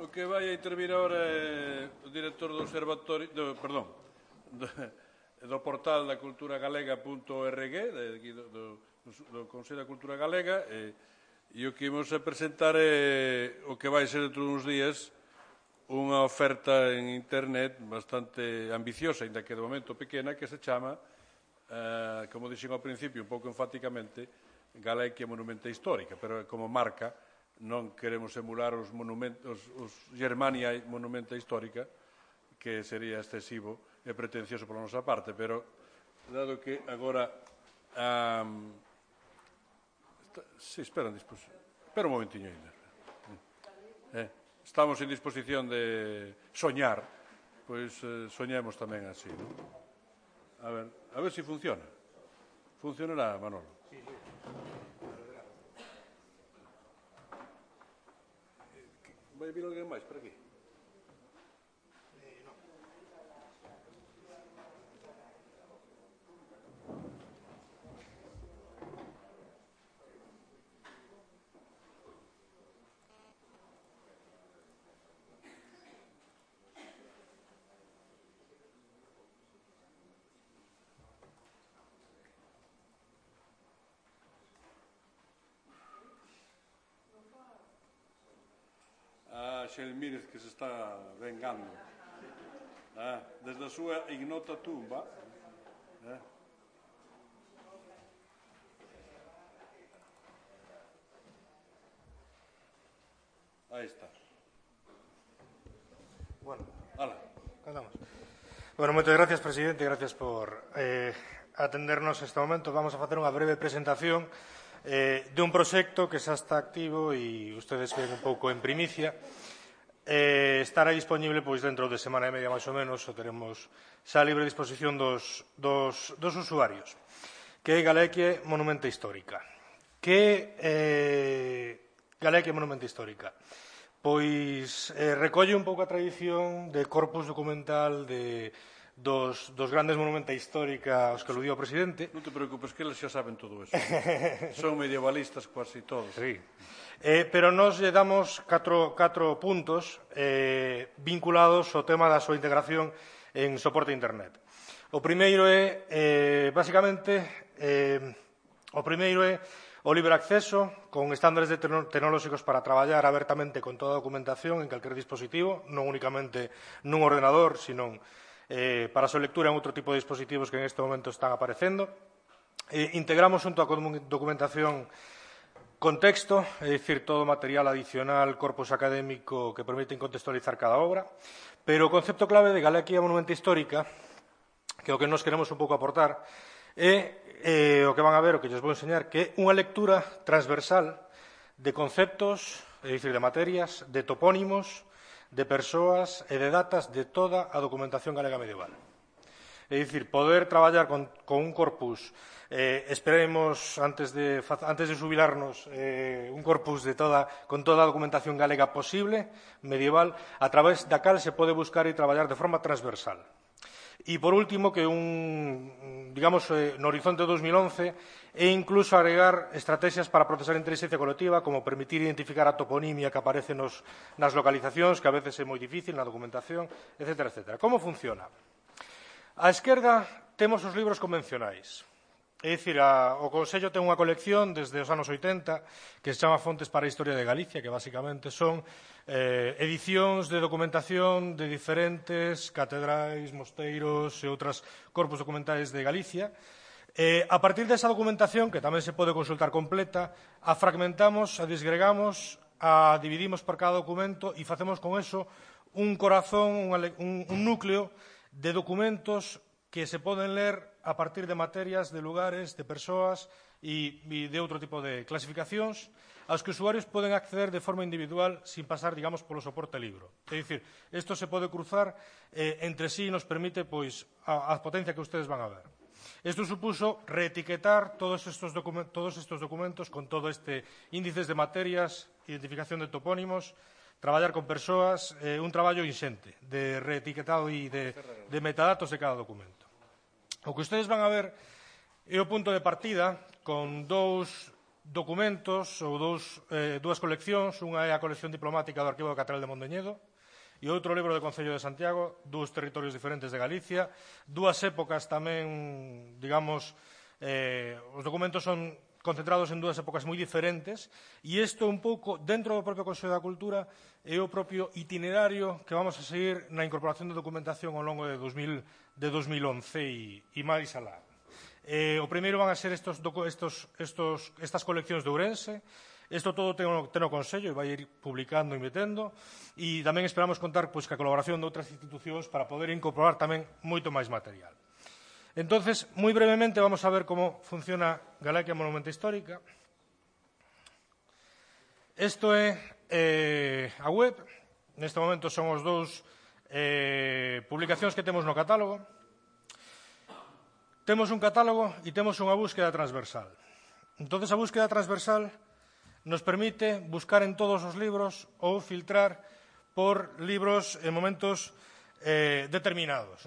O que vai a intervir agora é o director do observatorio, do portal da cultura galega.org, do Consello da Cultura Galega, e o que imos a presentar é o que vai ser dentro de uns días unha oferta en internet bastante ambiciosa, ainda que de momento pequena, que se chama, como dixen ao principio, un pouco enfáticamente, Galequia Monumenta Histórica, pero como marca non queremos emular os Germania Monumenta Histórica, que sería excesivo e pretencioso pola nosa parte, pero dado que agora espera un momentiño ainda. Estamos en disposición de soñar, pois soñemos tamén así, non? A ver se funciona. Funcionará, Manolo? Sí. Vai vir alguén máis por aquí? Non. Xelmírez que se está vengando desde a súa ignota tumba. Aí está. Bueno, andamos. Bueno, moitas gracias, presidente, gracias por atendernos este momento. Vamos a facer unha breve presentación de un proxecto que xa está activo e ustedes ven un pouco en primicia. Estará disponible pois dentro de semana e media máis ou menos, o teremos xa a libre disposición dos usuarios, que é Galequia Monumenta Histórica. Que Galequia Monumenta Histórica? Pois recolle un pouco a tradición de corpus documental dos grandes monumenta histórica aos que aludiu o presidente. Non te preocupes, que eles xa saben todo eso. Son medievalistas quase todos. Sí. Pero nos lle damos catro puntos vinculados ao tema da súa integración en soporte internet. O primeiro é, basicamente, o libre acceso con estándares tecnolóxicos para traballar abertamente con toda a documentación en calquer dispositivo, non únicamente nun ordenador, sino para a súa lectura en outro tipo de dispositivos que en este momento están aparecendo. Integramos xunto a documentación contexto, é dicir, todo material adicional, corpus académico que permiten contextualizar cada obra, pero o concepto clave de Galequia Monumenta Histórica, que é o que nos queremos un pouco aportar, é o que van a ver, o que lles vou enseñar, que é unha lectura transversal de conceptos, é dicir, de materias, de topónimos, de persoas e de datas de toda a documentación galega medieval. É dicir, poder traballar con un corpus, esperemos, antes de xubilarnos, un corpus con toda a documentación galega posible, medieval, a través da cal se pode buscar e traballar de forma transversal. E, por último, que digamos, no horizonte 2011, e incluso agregar estrategias para procesar a inteligencia colectiva, como permitir identificar a toponimia que aparece nas localizacións, que a veces é moi difícil na documentación, etc. etc. Como funciona? Á esquerda temos os libros convencionais. É dicir, o Consello ten unha colección desde os anos 80 que se chama Fontes para a Historia de Galicia, que basicamente son edicións de documentación de diferentes catedrais, mosteiros e outras corpus documentais de Galicia. A partir desa documentación, que tamén se pode consultar completa, a fragmentamos, a disgregamos, a dividimos por cada documento e facemos con eso un corazón, un núcleo de documentos que se poden ler a partir de materias, de lugares, de persoas e de outro tipo de clasificacións aos que os usuarios poden acceder de forma individual sin pasar, digamos, polo soporte libro. É dicir, isto se pode cruzar entre sí e nos permite a potencia que ustedes van a ver. Isto supuso reetiquetar todos estes documentos con todo este índices de materias, identificación de topónimos, traballar con persoas, un traballo inxente de reetiquetado e de metadatos de cada documento. O que ustedes van a ver é o punto de partida con dous documentos ou dúas coleccións. Unha é a colección diplomática do Arquivo da Catedral de Mondoñedo e outro libro do Concello de Santiago, dous territorios diferentes de Galicia, dúas épocas tamén, digamos, os documentos son concentrados en dúas épocas moi diferentes e isto un pouco, dentro do propio Consello da Cultura, é o propio itinerario que vamos a seguir na incorporación de documentación ao longo de 2011 e máis alá. O primeiro van a ser estas coleccións de Ourense. Isto todo ten o Consello e vai ir publicando e metendo, e tamén esperamos contar ca colaboración de outras institucións para poder incorporar tamén moito máis material. Entonces, moi brevemente, vamos a ver como funciona Galaquia Monumenta Histórica. Isto é a web. Neste momento son os dous publicacións que temos no catálogo. Temos un catálogo e temos unha búsqueda transversal. Entón, a búsqueda transversal nos permite buscar en todos os libros ou filtrar por libros en momentos determinados.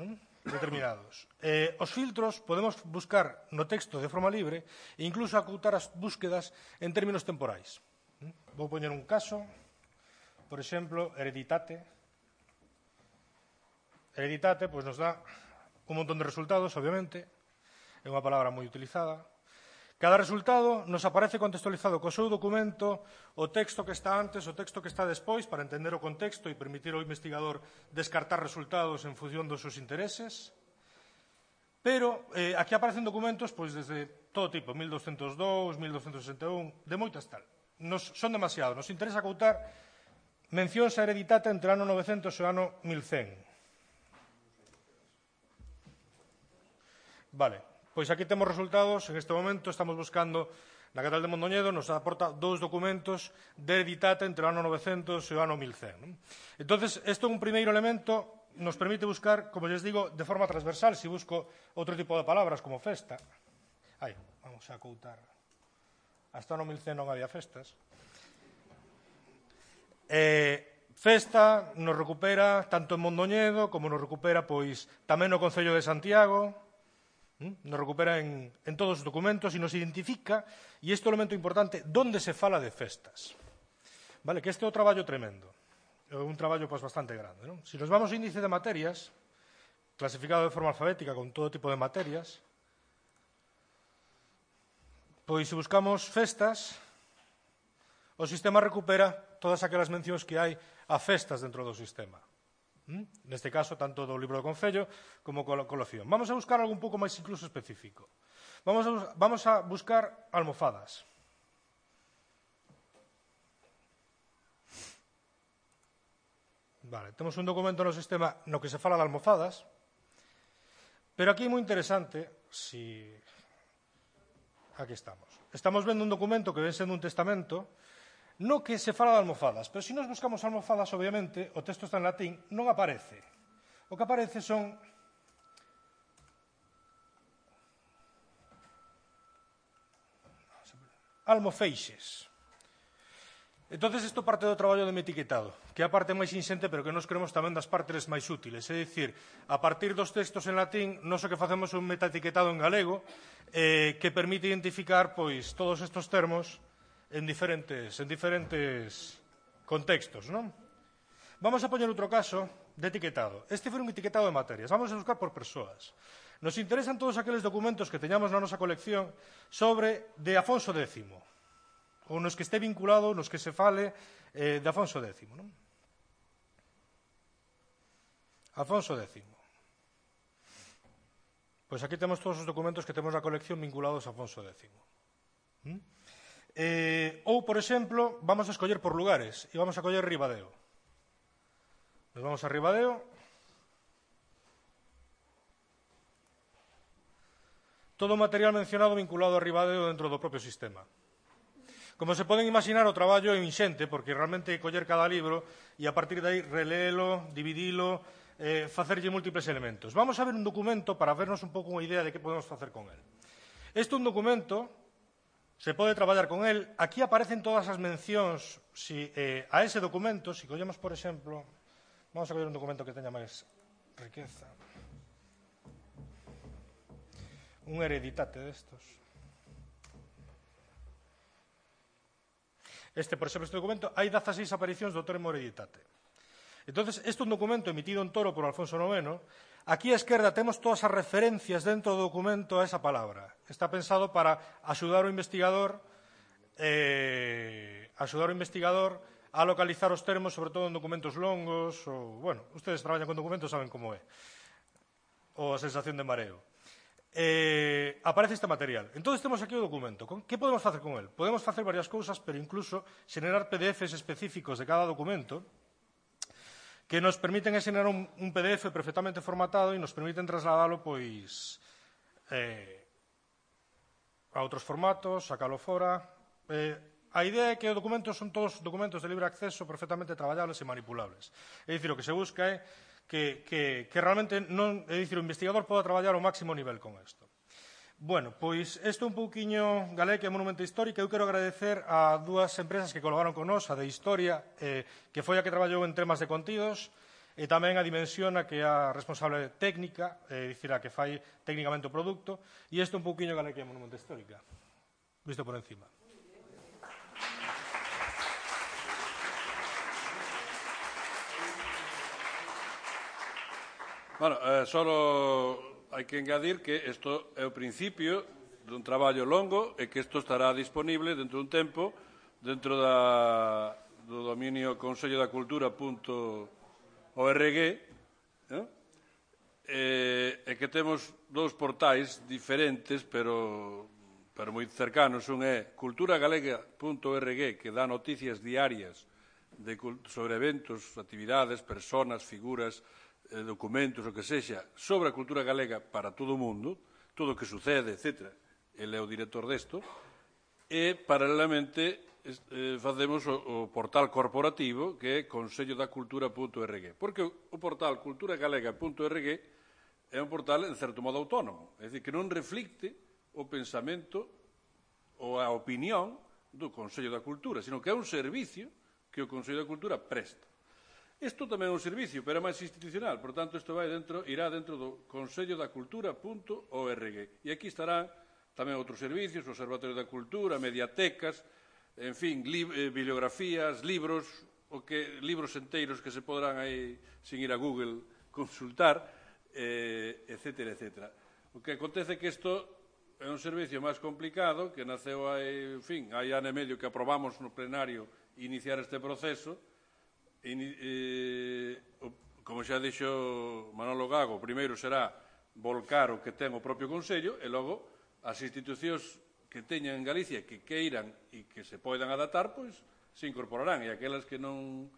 Os filtros podemos buscar no texto de forma libre e incluso acotar as búsquedas en términos temporais. Vou poñer un caso, por exemplo, hereditate. Hereditate nos dá un montón de resultados, obviamente. É unha palabra moi utilizada. Cada resultado nos aparece contextualizado co seu documento, o texto que está antes, o texto que está despois, para entender o contexto e permitir ao investigador descartar resultados en función dos seus intereses. Pero aquí aparecen documentos desde todo tipo, 1202, 1261, de moitas tal. Son demasiados. Nos interesa coutar mencións a hereditate entre o ano 900 e o ano 1100. Vale. Pois aquí temos resultados. En este momento estamos buscando na Catedral de Mondoñedo, nos aporta dous documentos de hereditate entre o ano 900 e o ano 1100. Entón, isto é un primeiro elemento, nos permite buscar, como lles digo, de forma transversal. Se busco outro tipo de palabras como festa, vamos a coutar, hasta o ano 1100 non había festas. Festa nos recupera tanto en Mondoñedo como nos recupera tamén no Concello de Santiago. Nos recupera en todos os documentos e nos identifica, e este é o elemento importante, onde se fala de festas. Que este é o traballo tremendo, é un traballo bastante grande. Se nos vamos ao índice de materias, clasificado de forma alfabética con todo tipo de materias, se buscamos festas, o sistema recupera todas aquelas mencións que hai a festas dentro do sistema. Neste caso, tanto do libro do Concello como colección. Vamos a buscar algo un pouco máis incluso específico. Vamos a buscar almofadas. Temos un documento no sistema no que se fala de almofadas, pero aquí é moi interesante, aquí estamos. Estamos vendo un documento que ven sendo un testamento, no que se fala de almofadas, pero se nos buscamos almofadas, obviamente, o texto está en latín, non aparece. O que aparece son almofeixes. Entón, isto parte do traballo de etiquetado, que é a parte máis inxente, pero que nos creemos tamén das partes máis útiles. É dicir, a partir dos textos en latín, nós o que facemos é un metaetiquetado en galego que permite identificar todos estes termos en diferentes contextos. Vamos a poñer outro caso de etiquetado. Este foi un etiquetado de materias. Vamos a buscar por persoas. Nos interesan todos aqueles documentos que teñamos na nosa colección de Afonso X, ou nos que este vinculado, nos que se fale de Afonso X. Afonso X. Pois aquí temos todos os documentos que temos na colección vinculados a Afonso X. Ou, por exemplo, vamos a escoller por lugares e vamos a coller Ribadeo. Nos vamos a Ribadeo. Todo o material mencionado vinculado a Ribadeo dentro do propio sistema. Como se poden imaginar, o traballo é inxente, porque realmente coller cada libro e a partir de aí releelo, dividilo, facerlle múltiples elementos. Vamos a ver un documento para vernos un pouco unha idea de que podemos facer con el. Este é un documento. Se pode traballar con el. Aquí aparecen todas as mencións a ese documento. Se collemos, por exemplo, vamos a coller un documento que teña máis riqueza. Un hereditate destos. por exemplo, este documento, hai 16 aparicións do termo hereditate. Entón, este é un documento emitido en Toro por Alfonso IX. Aquí á esquerda temos todas as referencias dentro do documento a esa palabra. Está pensado para axudar o investigador a localizar os termos, sobre todo en documentos longos, ou, bueno, ustedes traballan con documentos, saben como é, ou a sensación de mareo. Aparece este material. Entón, temos aquí o documento. Que podemos facer con el? Podemos facer varias cousas, pero incluso xenerar PDFs específicos de cada documento que nos permiten xenerar un PDF perfectamente formatado e nos permiten trasladalo pois a outros formatos, sacalo fora. A idea é que os documentos son todos documentos de libre acceso perfectamente traballables e manipulables. É dicir, o que se busca é que realmente non, é dicir, o investigador poda traballar ao máximo nivel con isto. Bueno, pois isto é un pouquiño Galec e Monumento Histórico. Eu quero agradecer a dúas empresas que colaboraron con nós, a de Historia, que foi a que traballou en temas de contidos, e tamén a Dimensión, a que é a responsable técnica, é dicir, a que fai técnicamente o produto, e isto é un pouquiño Galec e Monumento Histórica, visto por encima. Bueno, solo hai que engadir que isto é o principio dun traballo longo e que isto estará disponible dentro dun tempo dentro do dominio consellodacultura.org e que temos dous portais diferentes pero moi cercanos. Un é culturagalega.org, que dá noticias diarias sobre eventos, actividades, personas, figuras, documentos, o que sexa, sobre a cultura galega para todo o mundo, todo o que sucede, etc. Ele é o director desto. E, paralelamente, facemos o portal corporativo, que é consellodacultura.org. Porque o portal culturagalega.org é un portal, en certo modo, autónomo. É dicir, que non reflicte o pensamento ou a opinión do Consello da Cultura, sino que é un servicio que o Consello da Cultura presta. Isto tamén é un servicio, pero é máis institucional. Por tanto, isto irá dentro do consellodacultura.org. E aquí estarán tamén outros servicios, o Observatorio da Cultura, mediatecas, en fin, bibliografías, libros enteiros que se podrán aí, sin ir a Google, consultar, etcétera, etcétera. O que acontece é que isto é un servicio máis complicado, que naceu hai ano e medio que aprobamos no plenario iniciar este proceso. Como xa dixo Manolo Gago, o primeiro será volcar o que ten o propio Consello e logo as institucións que teñan en Galicia que queiran e que se poidan adaptar, pois se incorporarán, e aquelas que non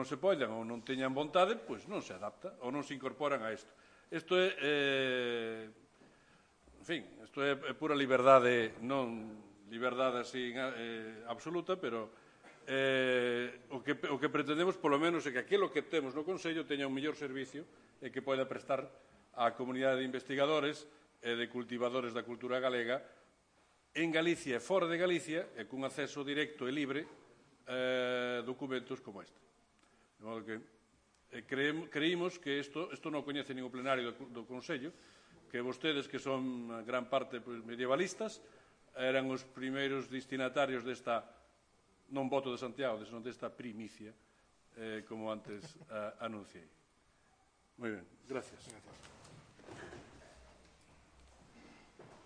se poidan ou non teñan vontade, pois non se adapta ou non se incorporan a isto. Isto é, en fin, isto é pura liberdade, non liberdade así absoluta, pero o que pretendemos, polo menos, é que aquilo que temos no Consello teña un mellor servicio e que poida prestar á comunidade de investigadores e de cultivadores da cultura galega en Galicia e fora de Galicia e cun acceso directo e libre documentos como este. De modo que creímos que isto non coñece ningún plenario do Consello, que vostedes, que son gran parte medievalistas, eran os primeiros destinatarios desta non voto de Santiago, senón desta primicia, como antes anunciei. Moi ben, gracias.